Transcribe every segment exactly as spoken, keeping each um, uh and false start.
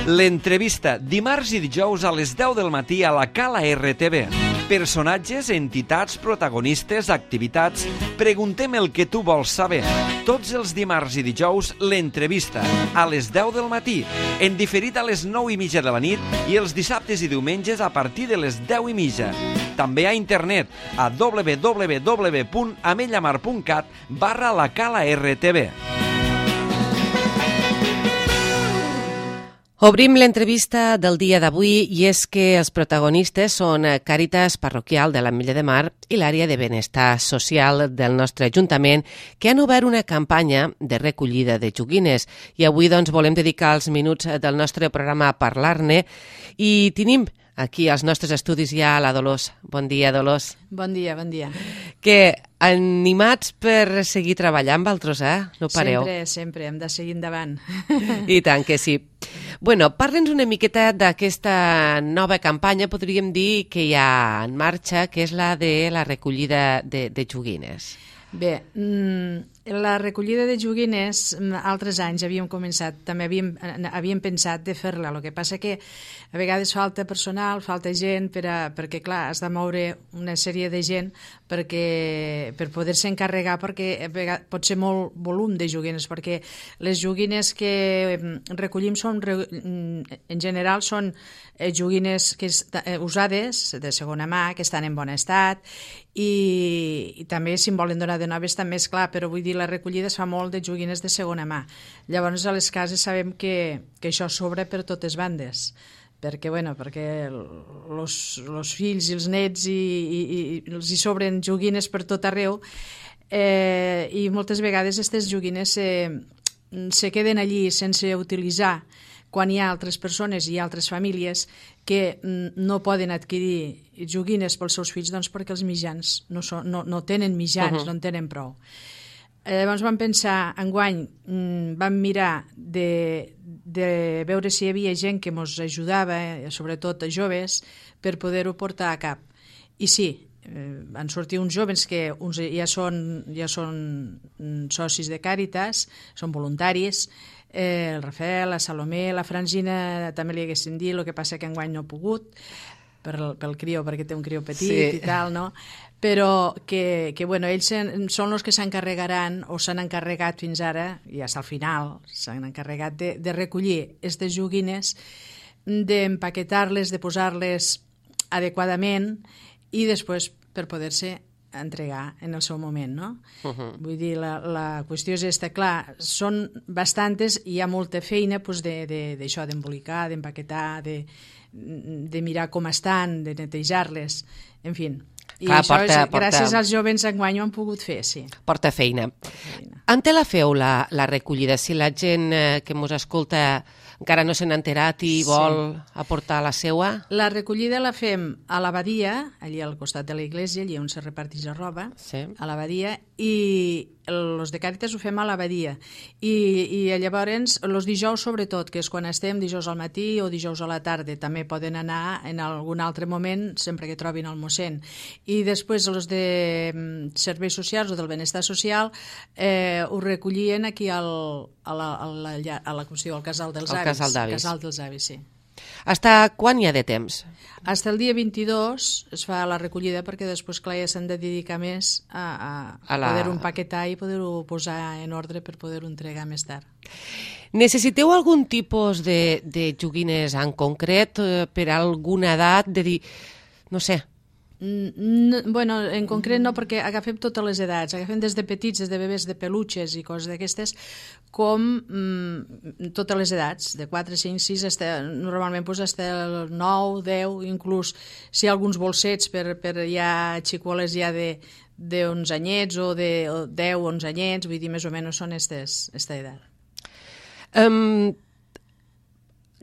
L'entrevista, dimarts i dijous a les deu del matí a la Cala R T V. Personatges, entitats, protagonistes, activitats... Preguntem el que tu vols saber. Tots els dimarts i dijous, l'entrevista, a les deu del matí, en diferit a les nou i mitja de la nit i els dissabtes i diumenges a partir de les deu i mitja. També a internet, a w w w punt amellamar punt cat barra la Cala R T V. Obrim l'entrevista del dia d'avui i és que els protagonistes són Càritas Parroquial de l'Ametlla de Mar i l'àrea de benestar social del nostre Ajuntament, que han obert una campanya de recollida de joguines. I avui doncs, volem dedicar els minuts del nostre programa a parlar-ne i tenim aquí als nostres estudis ja la Dolors. Bon dia, Dolors. Bon dia, bon dia. Que animats per seguir treballant amb altres, eh? No pareu. Sempre, sempre, hem de seguir endavant. I tant que sí. Bueno, parla'ns una miqueta d'aquesta nova campanya, podríem dir, que hi ha en marxa, que és la de la recollida de, de joguines. Bé, la recollida de joguines, altres anys havíem començat, també havíem, havíem pensat de fer-la, el que passa que a vegades falta personal, falta gent, per a, perquè clar, has de moure una sèrie de gent perquè, per poder-se encarregar, perquè vegades, pot ser molt volum de joguines, perquè les joguines que recollim són, en general són joguines que est, usades, de segona mà, que estan en bon estat, i, i també si en volen donar de noves també és clar, però vull dir, la recollida es fa molt de joguines de segona mà. Llavors a les cases sabem que, que això sobra per totes bandes, perquè, bueno, perquè els fills i els nets i, i, i els hi sobren joguines per tot arreu, eh, i moltes vegades aquestes joguines se, se queden allí sense utilitzar quan hi ha altres persones i altres famílies que no poden adquirir joguines pels seus fills, doncs perquè els mitjans no, són, no, no tenen mitjans, uh-huh. no en tenen prou. Llavors vam pensar, enguany vam mirar de, de veure si hi havia gent que ens ajudava, sobretot a joves, per poder-ho portar a cap. I sí, van sortir uns joves que uns ja són, ja són socis de Càritas, són voluntaris, Eh, el Rafael, la Salomé, la Francina també li haguessin dit, el que passa que enguany no ha pogut per, pel crió, perquè té un crió petit sí. i tal, no? Però que, que bueno, ells són els que s'encarregaran o s'han encarregat fins ara, i fins al final s'han encarregat de, de recollir aquestes joguines, d'empaquetar-les, de posar-les adequadament i després per poder-se entregar en el seu moment, no? Uh-huh. Vull dir, la, la qüestió és esta, clar, són bastantes i hi ha molta feina pues, d'això, d'embolicar, d'empaquetar, de, de mirar com estan, de netejar-les, en fi. I clar, això porta, és, porta... gràcies als jovens enguany ho han pogut fer, sí. Porta feina. Porta feina. On te la feu, la, la recollida? Si la gent eh, que ens escolta encara no s'han enterat i vol sí. aportar la seua? La recollida la fem a l'abadia, allà al costat de l'església, allà on se reparteix la roba, sí. a l'abadia, i els de Càritas ho fem a l'abadia. I, i llavors, els dijous sobretot, que és quan estem, dijous al matí o dijous a la tarda, també poden anar en algun altre moment, sempre que trobin el mossèn. I després els de serveis socials o del benestar social eh, ho recollien aquí al, a la, a la, a la, com si diu, al casal dels avis. Casal d'avis. Casal dels avis, sí. Hasta quan hi ha de temps? Hasta el dia vint-i-dos es fa la recollida perquè després, clar, ja s'han de dedicar més a, a, a la... poder-ho empaquetar i poder-ho posar en ordre per poder-ho entregar més tard. Necessiteu algun tipus de, de joguines en concret eh, per a alguna edat? De dir, no sé... No, bueno, en concret no, perquè agafem totes les edats, agafem des de petits, des de bebès de peluches i coses d'aquestes, com mm, totes les edats, de quatre, cinc, sis, hasta, normalment pues, hasta el nou, deu, inclús si hi ha alguns bolsets per, per ja xicoles ja de, de onze anyets o de deu, onze anyets, vull dir, més o menys són estes, esta edat. Um,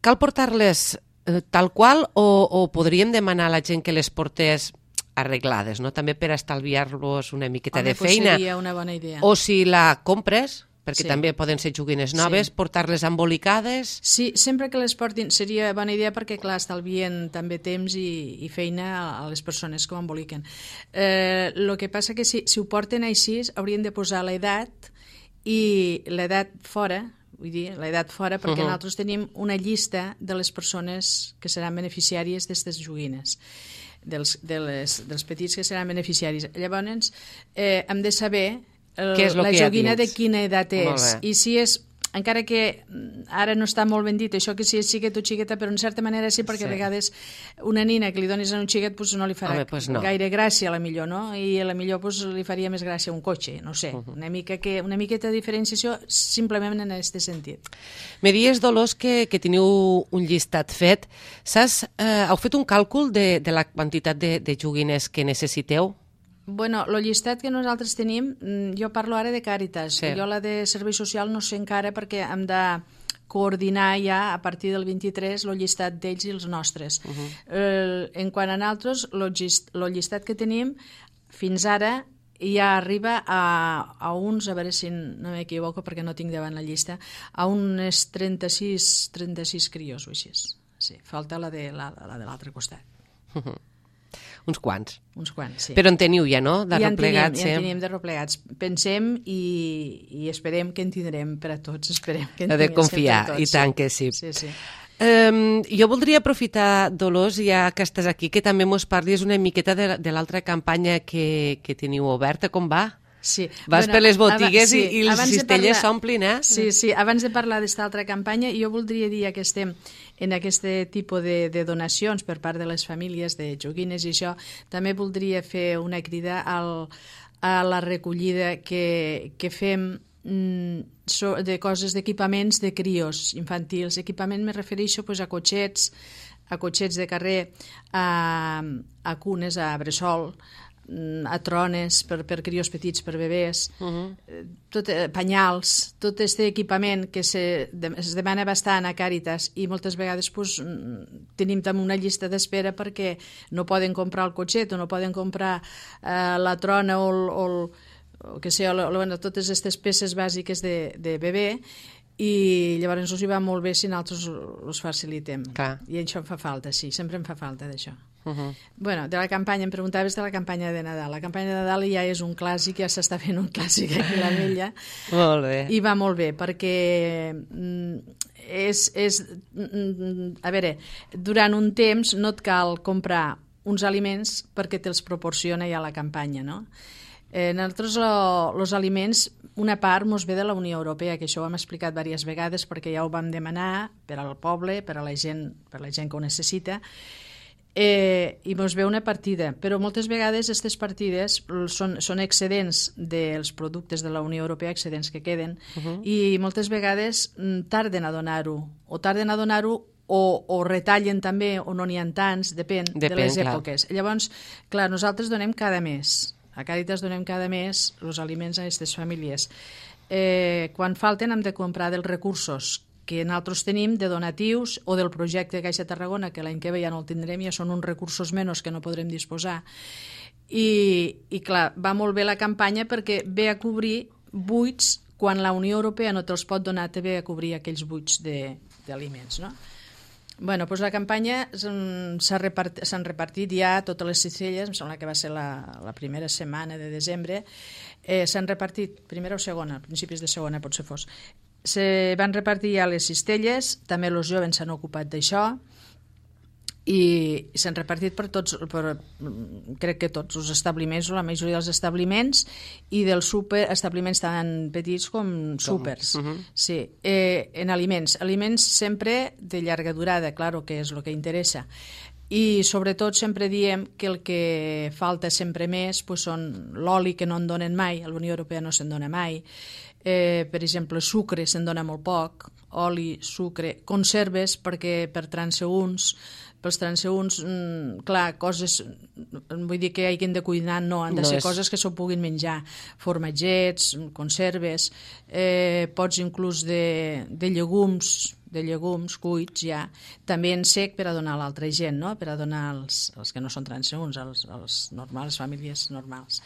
cal portar-les eh, tal qual o, o podríem demanar a la gent que les portés arreglades, no? També per estalviar-los una miqueta Home, de feina. Seria una bona idea. O si la compres, perquè sí. també poden ser joguines noves, sí. portar-les embolicades. Sí, sempre que les portin seria bona idea perquè, clar, estalvien també temps i, i feina a les persones que ho emboliquen. Eh, el que passa que si, si ho porten així, haurien de posar l'edat i l'edat fora, vull dir, l'edat fora, perquè uh-huh. nosaltres tenim una llista de les persones que seran beneficiàries d'aquestes joguines. Dels, de les, dels petits que seran beneficiaris. Llavors, eh, hem de saber el, la joguina de quina edat és. I si és, encara que ara no està molt ben dit, això que si és xiquet o xiqueta, però en certa manera sí, perquè sí. A vegades una nina que li donis a un xiquet pues no li farà Home, pues no. gaire gràcia, a la millor, no? I a la millor pues, li faria més gràcia un cotxe, no sé. Uh -huh. Una mica que una miqueta de diferenciació simplement en aquest sentit. Me dies, Dolors, que, que teniu un llistat fet. Saps, eh, heu fet un càlcul de, de la quantitat de, de joguines que necessiteu? Bueno, el llistat que nosaltres tenim, jo parlo ara de Càritas, sí. Jo la de Servei Social no sé encara perquè hem de coordinar ja a partir del vint-i-tres el llistat d'ells i els nostres. Uh -huh. eh, en quant a nosaltres, el llistat, llistat que tenim fins ara ja arriba a, a uns, a veure si no m'equivoco perquè no tinc davant la llista, a uns trenta-sis, trenta-sis crios o així. Sí, falta la de la, la de l'altre costat. Uh -huh. Uns quants. Uns quants, sí. Però en teniu ja, no? De ja replegats. En tenim, ja en tenim de replegats. Pensem i, i esperem que en tindrem per a tots. Esperem que en ha de confiar, tots, i tant que sí. Sí, sí. Um, jo voldria aprofitar, Dolors, ja que estàs aquí, que també mos parlis una miqueta de, de l'altra campanya que, que teniu oberta. Com va? Sí. Vas bueno, per les botigues sí, i, i les cistelles s'omplin, eh? Sí, sí. Abans de parlar d'esta altra campanya, jo voldria dir que estem en aquest tipus de, de donacions per part de les famílies de joguines i això. També voldria fer una crida al, a la recollida que, que fem mm, so, de coses d'equipaments de crios infantils. Equipament me refereixo pues, a cotxets, a cotxets de carrer, a, a cunes, a bressol, a trones per, per crios petits, per bebès, uh -huh. tot, eh, penyals, tot aquest equipament que se, de, es demana bastant a Càritas i moltes vegades pues, tenim també una llista d'espera perquè no poden comprar el cotxet o no poden comprar eh, la trona o, el, o, el, o que sé, o, o, bueno, totes aquestes peces bàsiques de, de bebè i llavors us hi va molt bé si nosaltres us facilitem. Clar. I això em fa falta, sí, sempre em fa falta d'això. Uh -huh. Bueno, de la campanya, em preguntaves de la campanya de Nadal. La campanya de Nadal ja és un clàssic, ja s'està fent un clàssic aquí a la Vella. Molt bé. I va molt bé, perquè mm, és, és... Mm, a veure, durant un temps no et cal comprar uns aliments perquè te'ls proporciona ja la campanya, no? Eh, nosaltres els aliments, una part mos ve de la Unió Europea, que això ho hem explicat diverses vegades perquè ja ho vam demanar per al poble, per a la gent, per a la gent que ho necessita, eh, i mos ve una partida, però moltes vegades aquestes partides són, són excedents dels productes de la Unió Europea, excedents que queden, uh -huh. i moltes vegades tarden a donar-ho, o tarden a donar-ho o, o retallen també, o no n'hi ha tants, depèn, depèn de les clar. èpoques. Llavors, clar, nosaltres donem cada mes. A Càritas donem cada mes els aliments a aquestes famílies. Eh, quan falten hem de comprar dels recursos que nosaltres tenim de donatius o del projecte Caixa Tarragona, que l'any que ve ja no el tindrem, ja són uns recursos menys que no podrem disposar. I, i clar, va molt bé la campanya perquè ve a cobrir buits quan la Unió Europea no te'ls pot donar, te ve a cobrir aquells buits d'aliments, no? Bueno, doncs la campanya s'han repartit, repartit ja totes les cistelles, em sembla que va ser la, la primera setmana de desembre, eh, s'han repartit, primera o segona, principis de segona potser fos, se van repartir ja les cistelles, també els joves s'han ocupat d'això, i s'han repartit per tots, per, crec que tots els establiments, o la majoria dels establiments, i dels super, establiments tan petits com súpers. Uh -huh. Sí, eh, en aliments. Aliments sempre de llarga durada, claro, que és el que interessa. I sobretot sempre diem que el que falta sempre més pues, són l'oli, que no en donen mai, a la Unió Europea no se'n dona mai, eh, per exemple, sucre se'n dona molt poc, oli, sucre, conserves, perquè per transeünts, pels transeünts, mm, clar, coses, vull dir que hagin de cuinar, no, han de no ser és... coses que s'ho puguin menjar, formatgets, conserves, eh, pots inclús de, de llegums, de llegums cuits ja, també en sec per a donar a l'altra gent, no? Per a donar als, als que no són transeünts, als, als normals, famílies normals.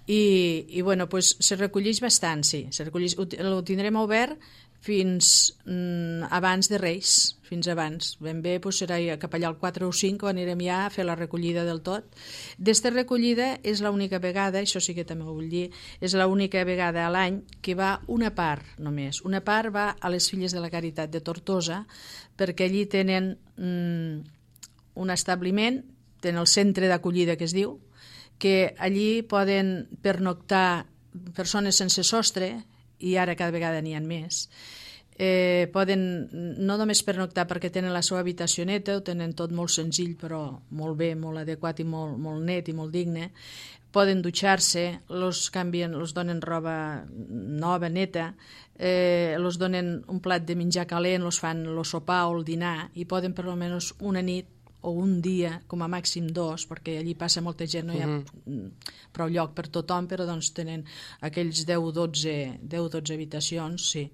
I, i bueno, pues, se recolleix bastant, sí, se recolleix, ho, ho tindrem obert fins mm, abans de Reis, fins abans. Ben bé doncs, serà cap allà el quatre o cinc quan anirem ja a fer la recollida del tot. D'esta recollida és l'única vegada, això sí que també ho vull dir, és l'única vegada a l'any que va una part només. Una part va a les Filles de la Caritat de Tortosa, perquè allí tenen mm, un establiment, tenen el centre d'acollida que es diu, que allí poden pernoctar persones sense sostre, i ara cada vegada n'hi ha més. Eh, poden no només pernoctar perquè tenen la seva habitació neta, ho tenen tot molt senzill però molt bé, molt adequat i molt, molt net i molt digne. Poden dutxar-se, los canvien, los donen roba nova, neta, eh, los donen un plat de menjar calent, los fan el sopar o el dinar i poden per almenys una nit o un dia, com a màxim dos, perquè allí passa molta gent, no hi ha uh-huh. prou lloc per tothom, però doncs tenen aquells deu o dotze habitacions, sí.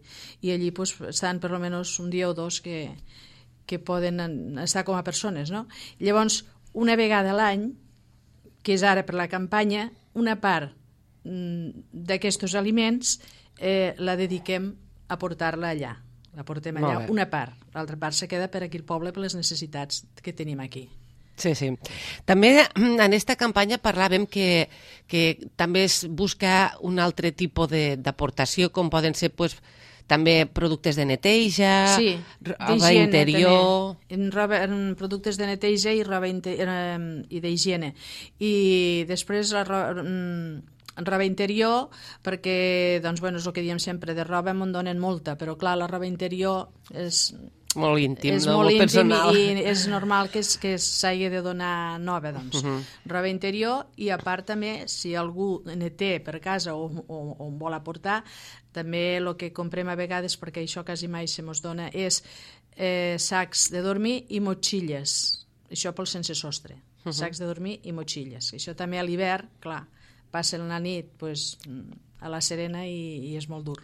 I allí pues, estan per almenys un dia o dos que, que poden estar com a persones, no? Llavors, una vegada a l'any, que és ara per la campanya, una part mm, d'aquests aliments eh, la dediquem a portar-la allà. La portem allà, una part. L'altra part se queda per aquí al poble per les necessitats que tenim aquí. Sí, sí. També en aquesta campanya parlàvem que, que també es busca un altre tipus d'aportació, com poden ser pues, també productes de neteja, sí, roba interior... En, roba, en productes de neteja i roba i d'higiene. I després la roba... roba interior, perquè doncs, bueno, és el que diem sempre, de roba me'n donen molta, però clar, la roba interior és molt íntim, és no? molt, molt íntim personal. I és normal que, que s'hagi de donar nova, doncs. Uh -huh. Roba interior, i a part també, si algú ne té per casa o, o, o en vol aportar, també el que comprem a vegades, perquè això quasi mai se mos dona, és eh, sacs de dormir i motxilles. Això pel sense sostre. Uh -huh. Sacs de dormir i motxilles. Això també a l'hivern, clar, passen la nit pues, a la serena i, i és molt dur.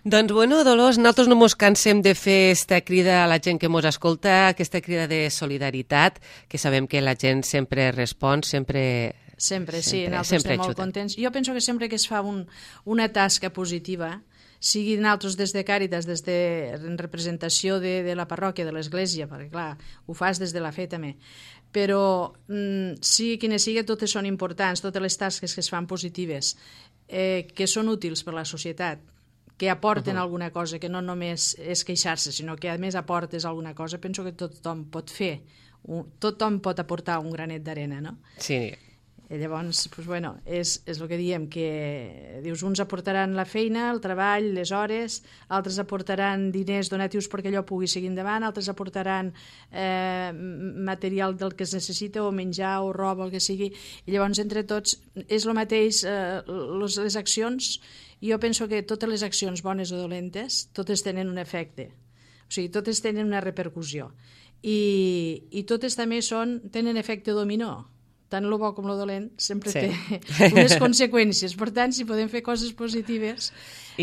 Doncs, bueno, Dolors, nosaltres no mos cansem de fer aquesta crida a la gent que mos escolta, aquesta crida de solidaritat, que sabem que la gent sempre respon, sempre... Sempre, sí, nosaltres estem molt contents. Jo penso que sempre que es fa un, una tasca positiva, sigui nosaltres des de Càritas, des de en representació de, de la parròquia, de l'església, perquè clar, ho fas des de la fe també, però mm, sigui quina sigui, totes són importants, totes les tasques que es fan positives, eh, que són útils per a la societat, que aporten uh -huh. alguna cosa, que no només és queixar-se, sinó que a més aportes alguna cosa, penso que tothom pot fer, tothom pot aportar un granet d'arena, no? Sí. I llavors, doncs, bueno, és, és el que diem, que dius, uns aportaran la feina, el treball, les hores, altres aportaran diners donatius perquè allò pugui seguir endavant, altres aportaran eh, material del que es necessita, o menjar, o roba, el que sigui, i llavors entre tots és el mateix, eh, les, les accions, jo penso que totes les accions bones o dolentes, totes tenen un efecte, o sigui, totes tenen una repercussió, i, i totes també són, tenen efecte dominó, tant el bo com el dolent sempre sí. té unes conseqüències. Per tant, si podem fer coses positives,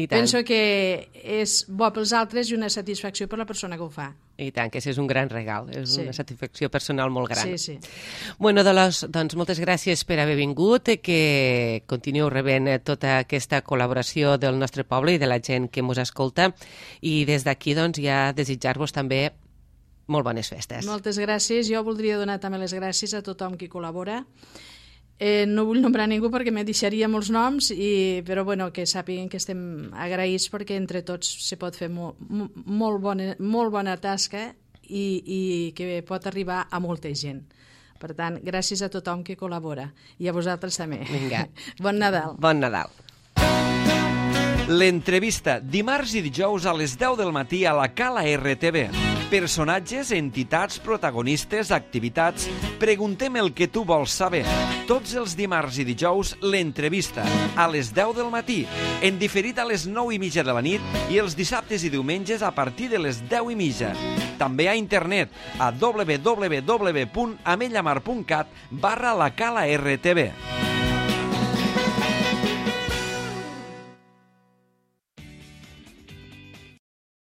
penso que és bo pels altres i una satisfacció per la persona que ho fa. I tant, que és un gran regal, és sí. una satisfacció personal molt gran. Sí, sí. Bueno, Dolors, doncs moltes gràcies per haver vingut, que continueu rebent tota aquesta col·laboració del nostre poble i de la gent que ens escolta, i des d'aquí doncs ja desitjar-vos també molt bones festes. Moltes gràcies. Jo voldria donar també les gràcies a tothom qui col·labora. Eh, no vull nombrar ningú perquè me deixaria molts noms, i, però bueno, que sàpiguen que estem agraïts perquè entre tots se pot fer molt, molt, bona, molt bona tasca i, i que pot arribar a molta gent. Per tant, gràcies a tothom que col·labora. I a vosaltres també. Vinga. Bon Nadal. Bon Nadal. L'entrevista, dimarts i dijous a les deu del matí a la Cala R T V. Personatges, entitats, protagonistes, activitats... Preguntem el que tu vols saber. Tots els dimarts i dijous, l'entrevista, a les deu del matí, en diferit a les nou i mitja de la nit, i els dissabtes i diumenges a partir de les deu i mitja. També a internet, a w w w punt amellamar punt cat barra la Cala R T V.